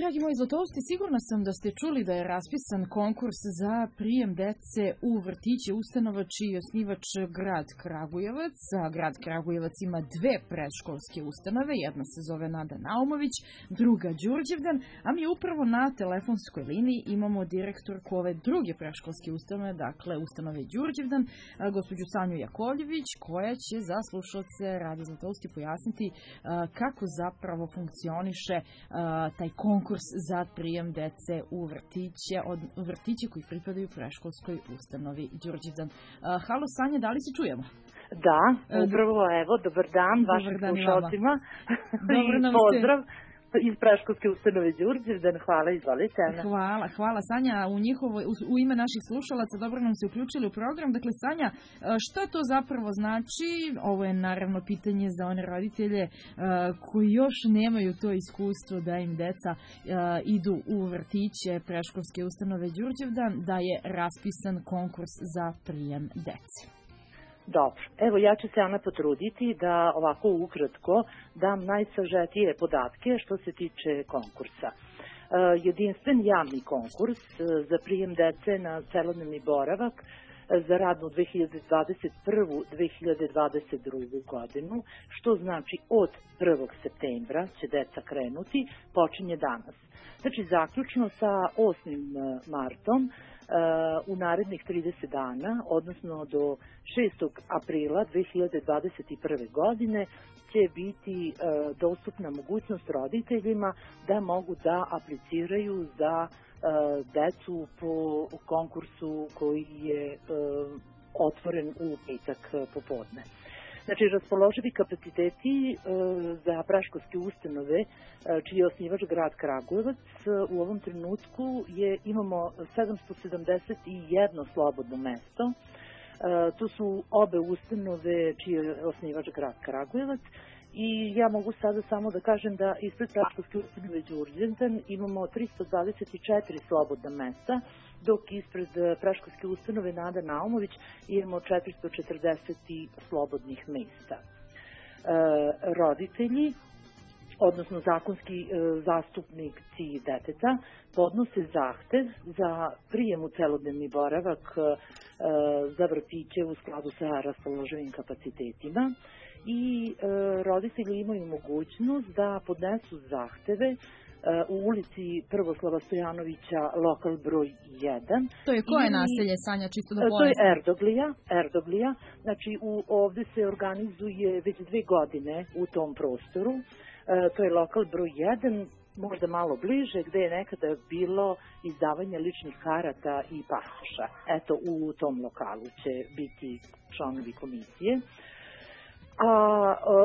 Dragi moji zlatousti, sigurna sam da ste čuli da je raspisan konkurs za prijem dece u vrtiće ustanova čiji je osnivač grad Kragujevac. Grad Kragujevac ima dve predškolske ustanove, jedna se zove Nada Naumović, druga Đurđevdan, a mi upravo na telefonskoj liniji imamo direktorku ove druge predškolske ustanove, dakle ustanove Đurđevdan, gospođu Sanju Jakovljević, koja će za slušalce Radio Zlatousti pojasniti kako zapravo funkcioniše taj konkurs za prijem dece u vrtiće koji pripadaju predškolskoj ustanovi Đurđevdan. Halo Sanja, da li se čujemo? Da, upravo evo, dobar dan vašim slušalcima i pozdrav iz predškolske ustanove Đurđevdan. Hvala, izvolite. Hvala Sanja, u ime naših slušalaca dobro nam se uključili u program. Dakle, Sanja, šta to zapravo znači? Ovo je naravno pitanje za one roditelje koji još nemaju to iskustvo da im deca idu u vrtiće predškolske ustanove Đurđevdan, da je raspisan konkurs za prijem dece. Dobro, evo ja ću se, Ana, potruditi da ovako ukratko dam najsažetije podatke što se tiče konkursa. Jedinstven javni konkurs za prijem dece na celodnevni boravak za radnu 2021-2022 godinu, što znači od 1. septembra će deca krenuti, počinje danas. Znači, zaključno sa 8. martom, u narednih 30 dana, odnosno do 6. aprila 2021. godine, će biti dostupna mogućnost roditeljima da mogu da apliciraju za decu po konkursu koji je otvoren u petak popodne. Znači, raspoloživi kapaciteti za predškolske ustanove, čiji je osnivač grad Kragujevac, u ovom trenutku imamo 771 slobodno mesto. Tu su obe ustanove čiji je osnivač grad Kragujevac. I ja mogu sada samo da kažem da ispred predškolske ustanove Đurđevdan imamo 324 slobodna mesta, dok ispred predškolske ustanove Nada Naumović imamo 440 slobodnih mesta. Roditelji, odnosno zakonski zastupnici deteta, podnose zahtev za prijem u celodnevni boravak za vrtiće u skladu sa raspoloživim kapacitetima i roditelji imaju mogućnost da podnesu zahteve u ulici Prvoslava Stojanovića, lokal broj 1. To je koje naselje, Sanja, čisto da pojasnim? To je Erdoglija. Znači, ovde se organizuje već 2 godine u tom prostoru. To je lokal broj 1, možda malo bliže, gde je nekada bilo izdavanje ličnih karata i pasoša. Eto, u tom lokalu će biti članovi komisije. A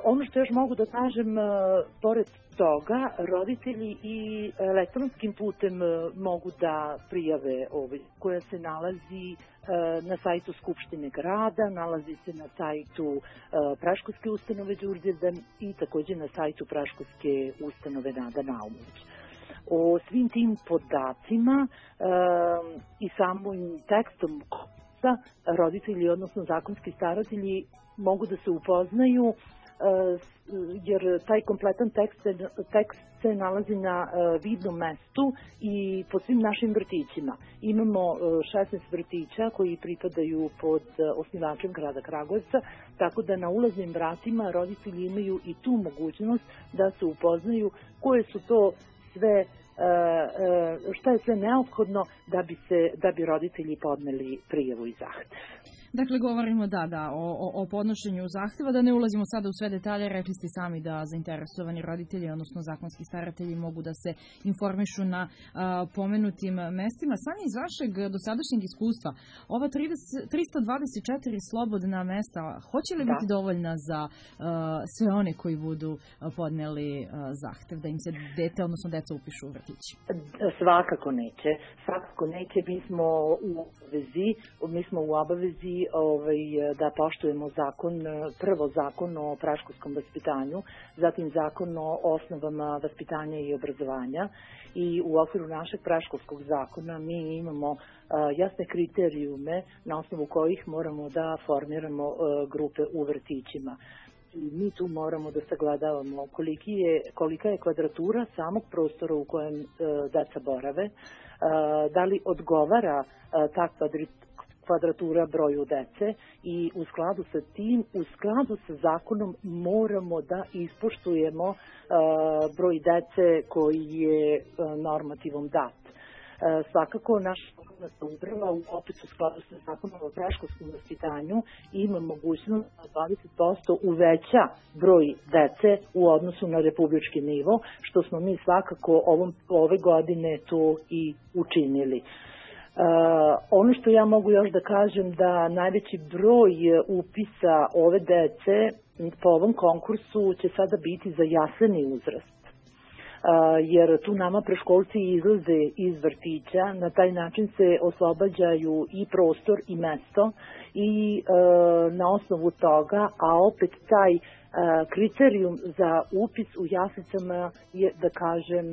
ono što još mogu da kažem, pored toga, roditelji i elektronskim putem mogu da prijave koja se nalazi na sajtu Skupštine grada, nalazi se na sajtu predškolske ustanove Đurđevdan i takođe na sajtu predškolske ustanove Nada Naumović. O svim tim podacima i samim tekstom roditelji, odnosno zakonski staratelji, mogu da se upoznaju, jer taj kompletan tekst se nalazi na vidnom mestu i po svim našim vrtićima. Imamo 16 vrtića koji pripadaju pod osnivačem grada Kragujevca, tako da na ulaznim vratima roditelji imaju i tu mogućnost da se upoznaju koje su to sve, šta je sve neophodno da bi roditelji podneli prijavu i zahtev. Dakle, govorimo o podnošenju zahteva, da ne ulazimo sada u sve detalje, rekli ste sami da zainteresovani roditelji, odnosno zakonski staratelji, mogu da se informišu na pomenutim mestima. Sami iz vašeg dosadašnjeg iskustva, ova 324 slobodna mesta, hoće li biti dovoljna za sve one koji budu podneli zahtev, da im se dete, odnosno deca upišu u vrtići? Svakako neće. Mi smo u obavezi da poštujemo prvo zakon o predškolskom vaspitanju, zatim zakon o osnovama vaspitanja i obrazovanja i u okviru našeg predškolskog zakona mi imamo jasne kriterijume na osnovu kojih moramo da formiramo grupe u vrtićima. mi tu moramo da sagledavamo kolika je kvadratura samog prostora u kojem deca borave, da li odgovara ta kvadratura broju dece i u skladu sa tim, u skladu sa zakonom moramo da ispoštujemo broj dece koji je normativom dat. Svakako naša lokalna samouprava opet u skladu sa zakonom o predškolskom vaspitanju ima mogućnost da 20% uveća broj dece u odnosu na republički nivo, što smo mi svakako ove godine to i učinili. Ono što ja mogu još da kažem da najveći broj upisa ove dece po ovom konkursu će sada biti za jaseni uzrast. Jer tu nama preškolci izlaze iz vrtića, na taj način se oslobađaju i prostor i mesto i na osnovu toga, a opet taj kriterijum za upis u jaslicama je, da kažem,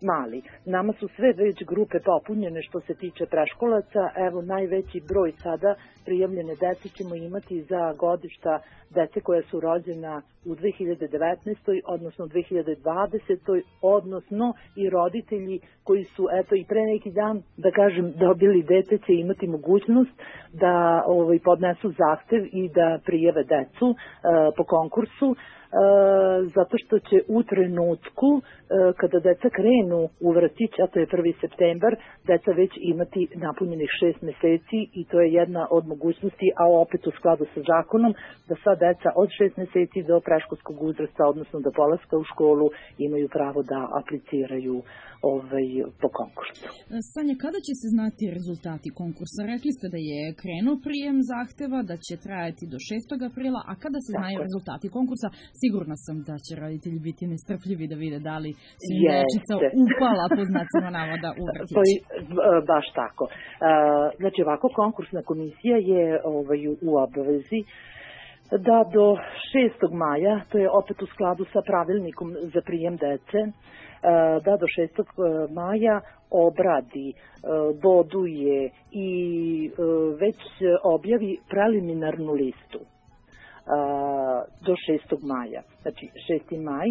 mali. Nama su sve već grupe popunjene što se tiče preškolaca. Evo, najveći broj sada prijavljene dece ćemo imati za godišta dece koja su rođena u 2019. odnosno 2020. odnosno i roditelji koji su i pre neki dan, da kažem, dobili dete će imati mogućnost da podnesu zahtev i da prijave decu po konkursu. Zato što će u trenutku kada deca krenu u vrtić, a to je 1. septembar, deca već imati napunjenih 6 meseci i to je jedna od mogućnosti, a opet u skladu sa zakonom, da sva deca od 6 meseci do predškolskog uzrasta, odnosno do polaska u školu, imaju pravo da apliciraju po konkursu. Sanja, kada će se znati rezultati konkursa? Rekli ste da je krenuo prijem zahteva, da će trajati do 6. aprila, a kada se znaju rezultati konkursa? Sigurna sam da će roditelji biti nestrpljivi da vide da li su im dečica upala pod znacima navoda u vrtić. Baš tako. Znači, ovako, konkursna komisija je u obavezi da do 6. maja, to je opet u skladu sa pravilnikom za prijem dece, da do 6. maja obradi, boduje i već objavi preliminarnu listu do 6. maja. Znači 6. maj,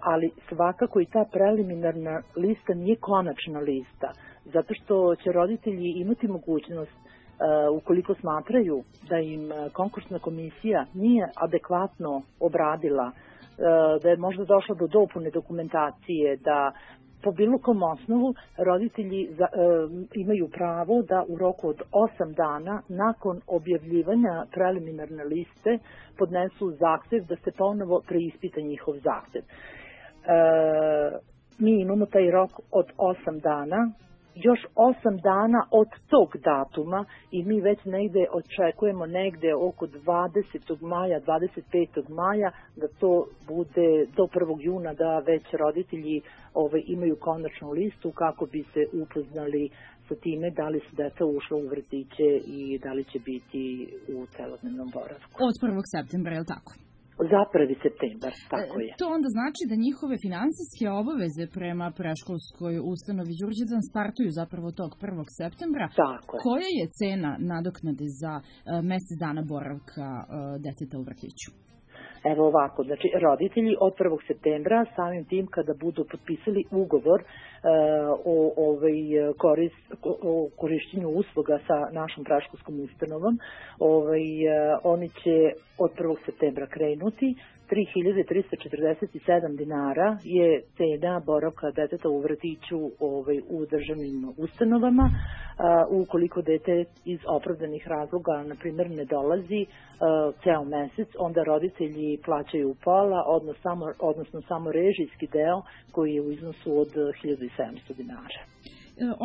ali svakako i ta preliminarna lista nije konačna lista, zato što će roditelji imati mogućnost, ukoliko smatraju da im konkursna komisija nije adekvatno obradila, da je možda došlo do dopune dokumentacije, da po bilo kom osnovu roditelji imaju pravo da u roku od 8 dana nakon objavljivanja preliminarne liste podnesu zahtev da se ponovo preispita njihov zahtev. Mi imamo taj rok od 8 dana, još 8 dana od tog datuma i mi već negde očekujemo negde oko 20. maja, 25. maja da to bude do 1. juna da već roditelji imaju konačnu listu kako bi se upoznali sa time da li su deca ušla u vrtiće i da li će biti u celodnevnom boravku. Od 1. septembra, je li tako? Za 1. septembar, tako je. To onda znači da njihove finansijske obaveze prema predškolskoj ustanovi Đurđevdan startuju zapravo tog 1. septembra. Tako je. Koja je cena nadoknade za mesec dana boravka deteta u vrtiću? Evo ovako, znači roditelji od 1. septembra samim tim kada budu potpisali ugovor o korišćenju usluga sa našom predškolskom ustanovom, oni će od 1. septembra krenuti. 3.347 dinara je cena boravka deteta u vrtiću u državnim ustanovama. Ukoliko dete iz opravdanih razloga, na primjer, ne dolazi ceo mesec, onda roditelji plaćaju pola, odnosno samo režijski deo koji je u iznosu od 1.700 dinara.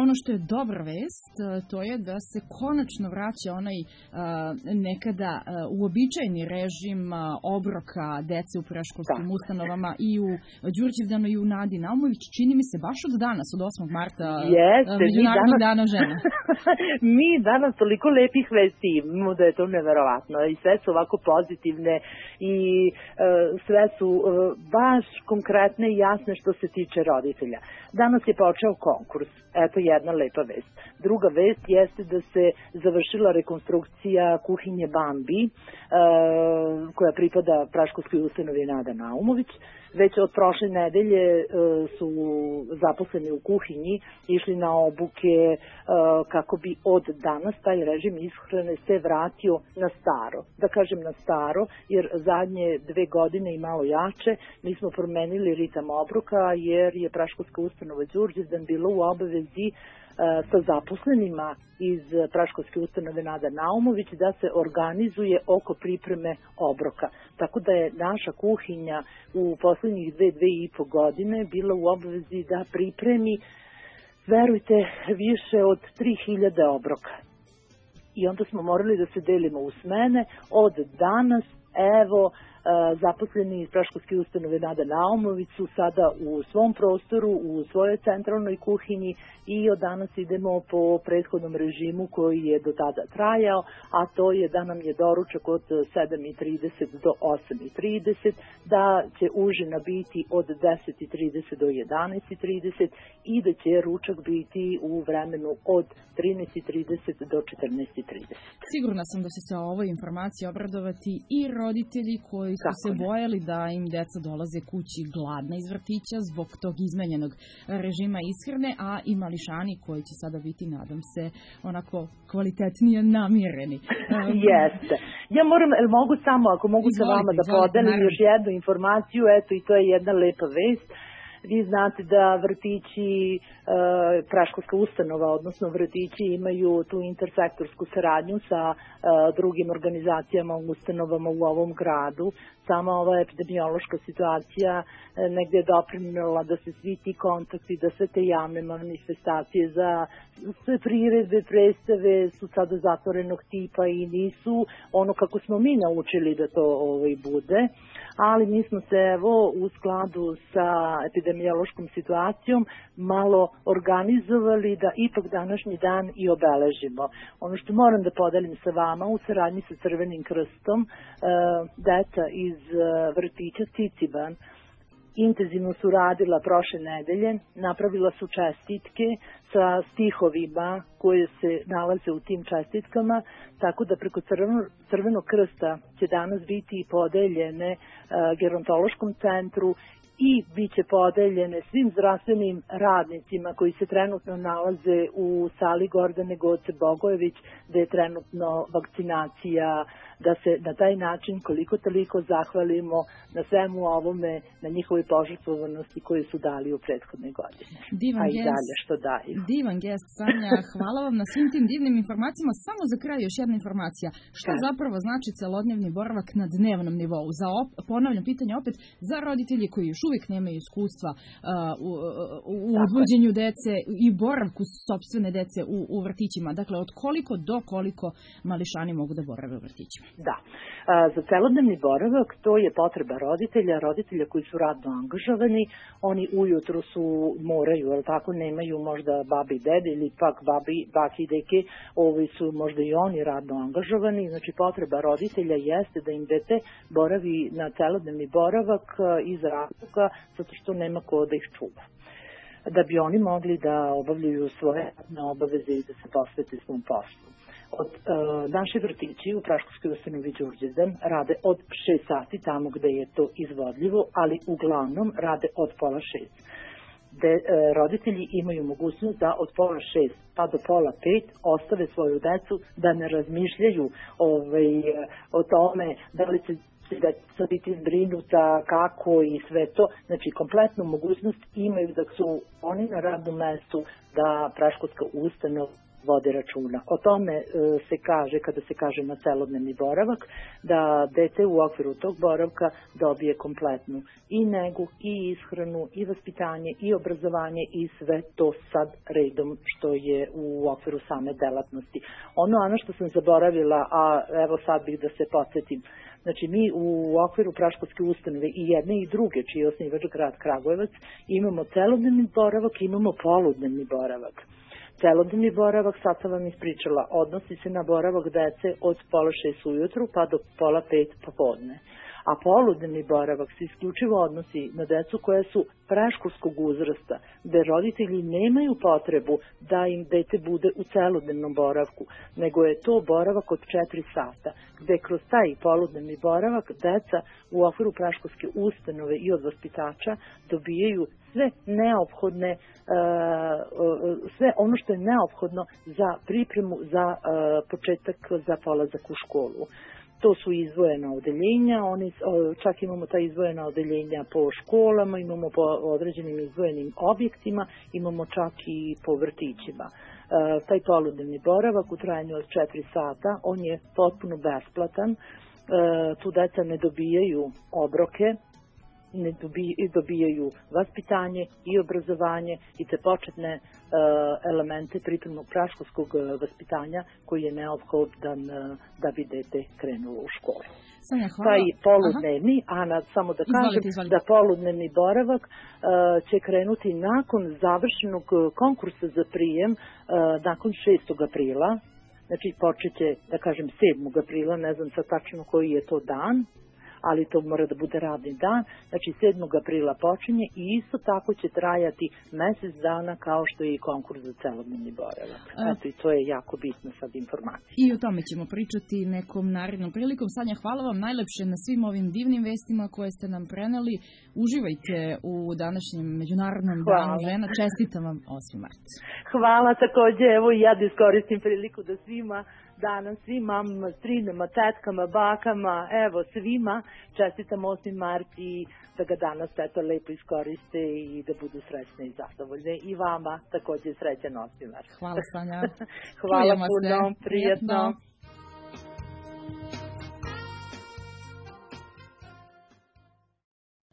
Ono što je dobra vest, to je da se konačno vraća onaj nekada uobičajeni režim obroka dece u predškolskim ustanovama i u Đurđevdanu i u Nadi Naumović. Čini mi se baš od danas, od 8. marta, Međunarodnog dana žena. Mi danas toliko lepih vesti imamo da je to neverovatno i sve su ovako pozitivne i sve su baš konkretne i jasne što se tiče roditelja. Danas je počeo konkurs. Eto jedna lepa vest. Druga vest jeste da se završila rekonstrukcija kuhinje Bambi, koja pripada Praškovskoj ustanovi Nada Naumović. Već od prošle nedelje su zaposleni u kuhinji išli na obuke kako bi od danas taj režim ishrane se vratio na staro. Da kažem na staro, jer zadnje 2 godine i malo jače mi smo promenili ritam obroka, jer je Praškovska ustanova Đurđevdan bila u obavezi sa zaposlenima iz Praškovske ustanove Nada Naumović da se organizuje oko pripreme obroka. Tako da je naša kuhinja u poslednjih 2,5 godine bila u obavezi da pripremi, verujte, više od 3000 obroka. I onda smo morali da se delimo u smene. Od danas, evo, zaposleni iz Praškovske ustanove Nada Naumović su sada u svom prostoru, u svojoj centralnoj kuhinji i od danas idemo po prethodnom režimu koji je do tada trajao, a to je da nam je doručak od 7:30 do 8:30, da će užina biti od 10:30 do 11:30 i da će ručak biti u vremenu od 13:30 do 14:30. Sigurna sam da će se o ovoj informaciji obradovati i roditelji koji su se bojali da im deca dolaze kući gladna iz vrtića zbog tog izmenjenog režima ishrane, a i mališani koji će sada biti, nadam se, onako kvalitetnije namireni. Jeste. Ja mogu samo, ako mogu sa vama da podelim još jednu informaciju, eto i to je jedna lepa vest. Vi znate da vrtići, Praškovska ustanova, odnosno vrtići imaju tu intersektorsku saradnju sa drugim organizacijama, ustanovama u ovom gradu. Sama ova epidemiološka situacija negde je doprinela da se svi ti kontakti, da sve te javne manifestacije za sve priredbe, predstave su sada zatvorenog tipa i nisu ono kako smo mi naučili da to bude. Ali mi smo se u skladu sa epidemiološkom situacijom malo organizovali da ipak današnji dan i obeležimo. Ono što moram da podelim sa vama u saradnji sa Crvenim krstom, deca iz vrtića Ciciban intenzivno su radila prošle nedelje, napravila su čestitke sa stihovima koje se nalaze u tim čestitkama, tako da preko Crvenog krsta će danas biti podeljene gerontološkom centru i bit će podeljene svim zdravstvenim radnicima koji se trenutno nalaze u sali Gordane Goce Bogojević, gde je trenutno vakcinacija, da se na taj način koliko toliko zahvalimo na svemu ovome, na njihovoj požrtvovanosti koje su dali u prethodnoj godini. Divan i dalje što daju. Divan gest, Sanja. Hvala vam na svim tim divnim informacijama. Samo za kraj još jedna informacija. Šta zapravo znači celodnevni boravak na dnevnom nivou? Ponavljam pitanje opet za roditelji koji još uvijek nemaju iskustva u odvođenju dece i boravku sopstvene dece u vrtićima. Dakle, od koliko do koliko mališani mogu da borave u vrtićima? Da. Za celodnevni boravak to je potreba roditelja koji su radno angažovani. Oni ujutru moraju, ali tako nemaju možda babi i dede ili pak baki i deke, su možda i oni radno angažovani. Znači potreba roditelja jeste da im dete boravi na celodnevni boravak iz razloga zato što nema ko da ih čuva, da bi oni mogli da obavljaju svoje obaveze i da se posvete svom poslu. Naši vrtići u Praškovskoj ustanovi Đurđevdan rade od 6 sati tamo gde je to izvodljivo, ali uglavnom rade od 5:30. Roditelji imaju mogućnost da od 5:30 pa do 4:30 ostave svoju decu, da ne razmišljaju o tome da li će da biti zbrinuta, kako i sve to. Znači, kompletnu mogućnost imaju da su oni na radnom mestu, da Praškovska ustanova vode računa. O tome se kaže, kada se kaže na celodnevni boravak, da dete u okviru tog boravka dobije kompletnu i negu, i ishranu, i vaspitanje, i obrazovanje, i sve to sad redom što je u okviru same delatnosti. Ono što sam zaboravila, a evo sad bih da se podsjetim, znači mi u okviru Praškovske ustanove i jedne i druge, čiji je osnivač grad Kragujevac, imamo celodnevni boravak, imamo poludnevni boravak. Celodnevni boravak, sad sam vam ispričala, odnosi se na boravak dece od 4:30 ujutru pa do 4:30 popodne. A poludnevni boravak se isključivo odnosi na decu koje su predškolskog uzrasta, gde roditelji nemaju potrebu da im dete bude u celodnevnom boravku, nego je to boravak od 4 sata, gde kroz taj poludnevni boravak deca u okviru predškolske ustanove i od vaspitača dobijaju sve neophodne, sve ono što je neophodno za pripremu za početak za polazak u školu. To su izdvojena odeljenja, čak imamo ta izdvojena odeljenja po školama, imamo po određenim izdvojenim objektima, imamo čak i po vrtićima. Taj poludnevni boravak u trajanju od 4 sata, on je potpuno besplatan, tu deca ne dobijaju obroke, ne dobijaju vaspitanje i obrazovanje i te početne elemente pripremnog predškolskog vaspitanja koji je neophodan da bi dete krenulo u školu. Sanja, hvala. Taj poludnevni, samo da kažem da poludnevni boravak će krenuti nakon završenog konkursa za prijem, nakon 6. aprila, znači počeće, da kažem, 7. aprila, ne znam sad tačno koji je to dan, ali to mora da bude radni dan, znači 7. aprila počinje i isto tako će trajati mesec dana kao što je i konkurs za celodnevni boravak. Eto, i to je jako bitno sad informacija. I o tome ćemo pričati nekom narednom prilikom. Sanja, hvala vam najlepše na svim ovim divnim vestima koje ste nam preneli. Uživajte u današnjem Međunarodnom danu žena. Čestitam vam 8. mart. Hvala takođe, evo i ja da iskoristim priliku da svima danas, svim mamama, strinama, tetkama, bakama, evo svima čestitam 8. mart i da ga danas eto lepo iskoriste i da budu srećne i zadovoljne. I vama takođe srećan 8. mart. Hvala, Sanja. Hvala puno, prijatno.